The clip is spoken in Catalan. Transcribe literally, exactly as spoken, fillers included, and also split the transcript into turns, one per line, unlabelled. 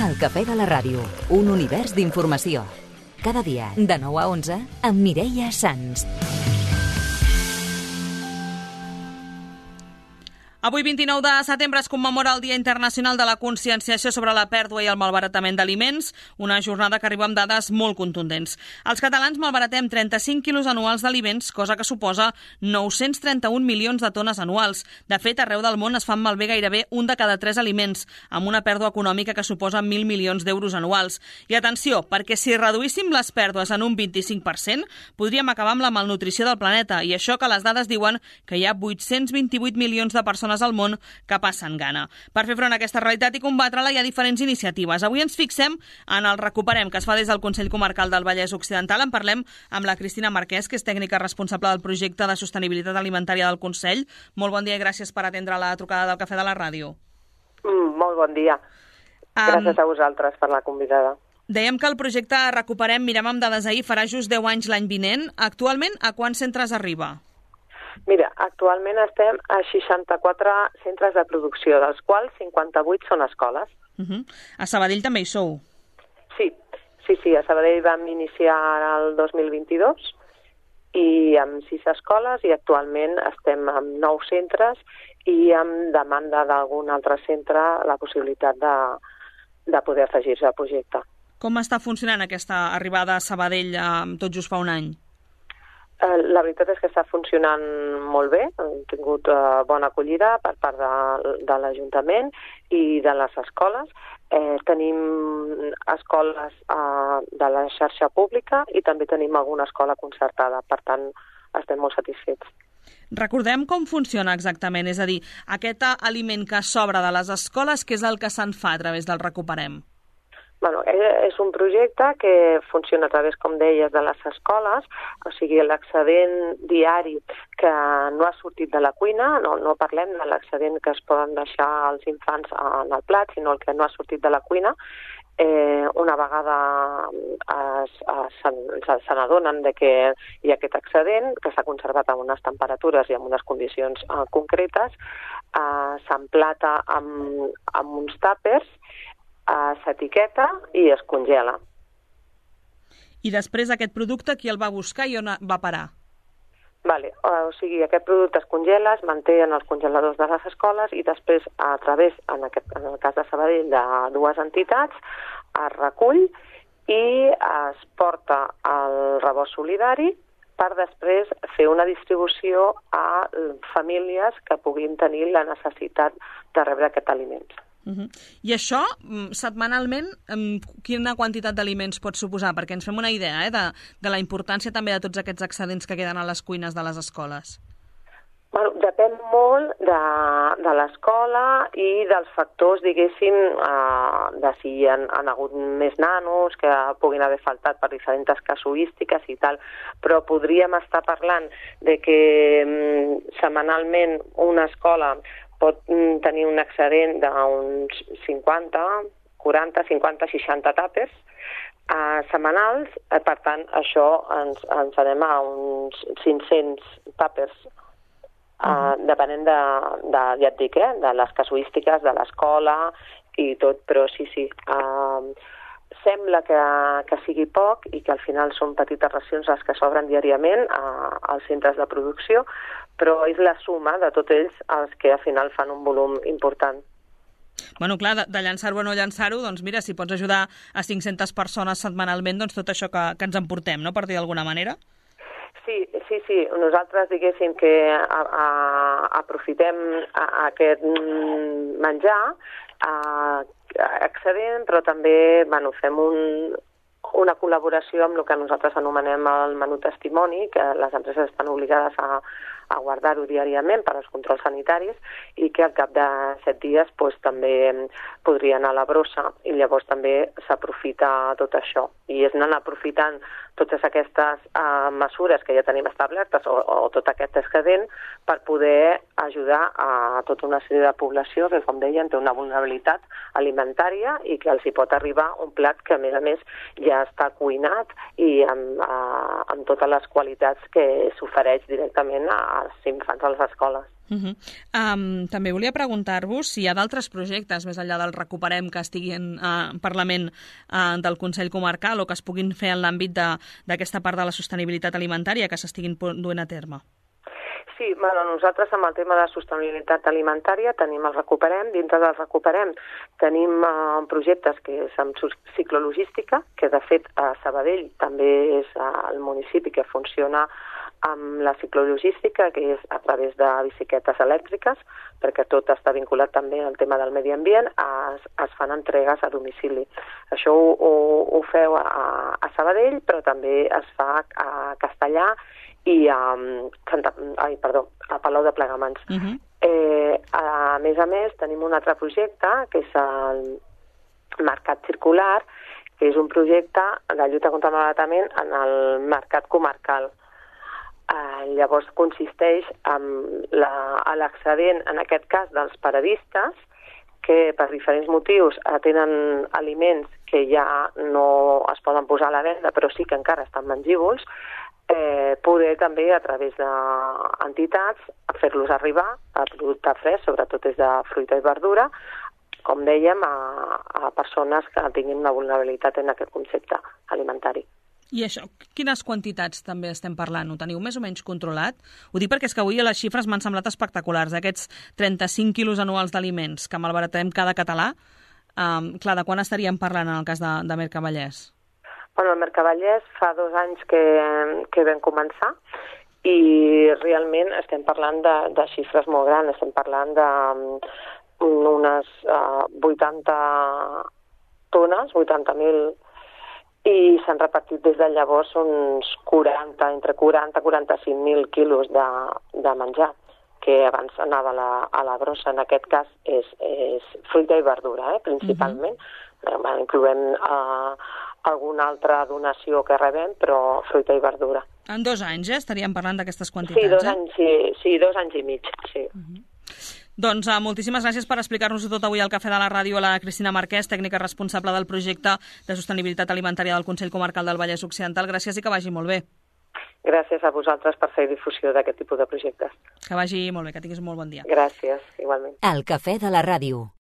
El Cafè de la Ràdio, un univers d'informació. Cada dia, de nou a onze, amb Mireia Sans.
Avui, vint-i-nou de setembre, es commemora el Dia Internacional de la Conscienciació sobre la Pèrdua i el Malbaratament d'Aliments, una jornada que arriba amb dades molt contundents. Els catalans malbaratem trenta-cinc quilos anuals d'aliments, cosa que suposa nou-cents trenta-un milions de tones anuals. De fet, arreu del món es fan malbé gairebé un de cada tres aliments, amb una pèrdua econòmica que suposa mil milions d'euros anuals. I atenció, perquè si reduíssim les pèrdues en un vint-i-cinc per cent, podríem acabar amb la malnutrició del planeta, i això que les dades diuen que hi ha vuit-cents vint-i-vuit milions de persones al món que passen gana. Per fer front a aquesta realitat i combatre-la hi ha diferents iniciatives. Avui ens fixem en el Recuperem, que es fa des del Consell Comarcal del Vallès Occidental. En parlem amb la Cristina Marquès, que és tècnica responsable del projecte de sostenibilitat alimentària del Consell. Molt bon dia i gràcies per atendre la trucada del Cafè de la Ràdio.
Mm, molt bon dia. Gràcies um, a vosaltres per la convidada.
Dèiem que el projecte Recuperem, mirem amb dades ahir, farà just deu anys l'any vinent. Actualment, a quants centres arriba?
Mira, actualment estem a seixanta-quatre centres de producció, dels quals cinquanta-vuit són escoles.
Uh-huh. A Sabadell també hi sou?
Sí, sí, sí, a Sabadell vam iniciar el dos mil vint-i-dos i amb sis escoles, i actualment estem amb nou centres i amb demanda d'algun altre centre la possibilitat de, de poder afegir-se al projecte.
Com està funcionant aquesta arribada a Sabadell eh, tot just fa un any?
La veritat és que està funcionant molt bé, hem tingut uh, bona acollida per part de, de l'Ajuntament i de les escoles. Eh, tenim escoles uh, de la xarxa pública i també tenim alguna escola concertada, per tant estem molt satisfets.
Recordem com funciona exactament, és a dir, aquest aliment que sobra de les escoles, què és el que se'n fa a través del Recuperem?
Bueno, és un projecte que funciona a través, com deies, de les escoles, o sigui, l'excedent diari que no ha sortit de la cuina, no, no parlem de l'excedent que es poden deixar els infants en el plat, sinó el que no ha sortit de la cuina. Eh, una vegada es, es, se, se n'adonen de que hi ha aquest excedent, que s'ha conservat a unes temperatures i en unes condicions eh, concretes, eh, s'emplata amb, amb uns tàpers, Uh, s'etiqueta i es congela.
I després aquest producte qui el va buscar i on va parar?
Vale, uh, o sigui, aquest producte es congela, es manté en els congeladors de les escoles i després, a través, en, aquest, en el cas de Sabadell, de dues entitats, es recull i es porta al rebost solidari per després fer una distribució a famílies que puguin tenir la necessitat de rebre aquest aliment.
Uh-huh. I això, setmanalment, quina quantitat d'aliments pot suposar? Perquè ens fem una idea eh, de, de la importància també de tots aquests excedents que queden a les cuines de les escoles.
Bueno, depèn molt de, de l'escola i dels factors, diguéssim, eh, de si hi ha, han hagut més nanos que puguin haver faltat per diferents casuístiques i tal, però podríem estar parlant de que mm, setmanalment una escola pot tenir un excedent d'uns cinquanta, quaranta, cinquanta, seixanta tàpers eh, setmanals. Eh, per tant, això ens, ens anem a uns cinc-cents tàpers, eh, uh-huh. depenent de, de, ja et dic, eh, de les casuístiques, de l'escola i tot, però sí, sí. Eh, sembla que, que sigui poc i que al final són petites racions les que s'obren diàriament a, als centres de producció, però és la suma de tots ells els que al final fan un volum important.
Bueno, clar, de, de llançar-ho a no llançar-ho, doncs mira, si pots ajudar a cinc-centes persones setmanalment, doncs tot això que, que ens emportem, no?, per dir d'alguna manera.
Sí, sí, sí. Nosaltres diguéssim que a, a, aprofitem a, a aquest menjar a, a excedent, però també bueno, fem un, una col·laboració amb el que nosaltres anomenem el menú testimoni, que les empreses estan obligades a, a guardar-ho diàriament per als controls sanitaris i que al cap de set dies pues, també podria anar a la brossa i llavors també s'aprofita tot això. I és anar aprofitant totes aquestes uh, mesures que ja tenim establertes o, o tot aquest excedent per poder ajudar a tota una sèrie de població que, com deien, té una vulnerabilitat alimentària i que els hi pot arribar un plat que, a més a més, ja està cuinat i amb, uh, amb totes les qualitats que s'ofereix directament als infants a les escoles.
Uh -huh. um, també volia preguntar-vos si hi ha d'altres projectes, més enllà del Recuperem, que estiguin uh, en Parlament uh, del Consell Comarcal o que es puguin fer en l'àmbit d'aquesta part de la sostenibilitat alimentària que s'estiguin duent a terme.
Sí, bueno, nosaltres amb el tema de sostenibilitat alimentària tenim el Recuperem, dintre del Recuperem tenim uh, projectes que és amb ciclologística, que de fet a Sabadell també és uh, el municipi que funciona amb la ciclologística, que és a través de bicicletes elèctriques, perquè tot està vinculat també al tema del medi ambient, es, es fan entregues a domicili. Això ho, ho, ho feu a, a Sabadell, però també es fa a Castellà i a, Santa, ai, perdó, a Palau de Plegamans. Uh-huh. eh, a més a més, tenim un altre projecte, que és el Mercat Circular, que és un projecte de lluita contra el malbaratament en el mercat comarcal. Eh, llavors consisteix en l'excedent, en aquest cas, dels paradistes, que per diferents motius tenen aliments que ja no es poden posar a la venda, però sí que encara estan mengívols, eh, poder també, a través d'entitats, fer-los arribar a producte fresc, sobretot és de fruita i verdura, com dèiem, a, a persones que tinguin una vulnerabilitat en aquest concepte alimentari.
I això, quines quantitats també estem parlant? Ho teniu més o menys controlat? Ho dic perquè és que avui les xifres m'han semblat espectaculars. Aquests trenta-cinc quilos anuals d'aliments que malbaratem cada català, um, clar, de quan estaríem parlant en el cas de, de Mercavallès?
Bueno, el Mercavallès fa dos anys que, que vam començar i realment estem parlant de, de xifres molt grans. Estem parlant d'unes uh, vuitanta tones, vuitanta mil, i s'han repartit des de llavors uns quaranta, entre quaranta i quaranta-cinc mil quilos de, de menjar, que abans anava a la, a la brossa. En aquest cas és, és fruita i verdura, eh, principalment. Uh-huh. Incloem uh, alguna altra donació que rebem, però fruita i verdura.
En dos anys, eh? Estaríem parlant d'aquestes quantitats,
sí, dos
eh?
anys, sí, sí, dos anys i mig, sí.
Uh-huh. Doncs uh, moltíssimes gràcies per explicar-nos tot avui al Cafè de la Ràdio a la Cristina Marquès, tècnica responsable del projecte de sostenibilitat alimentària del Consell Comarcal del Vallès Occidental. Gràcies i que vagi molt bé.
Gràcies a vosaltres per fer difusió d'aquest tipus de projectes.
Que vagi molt bé, que tinguis un molt bon dia.
Gràcies, igualment.
El Cafè de la Ràdio.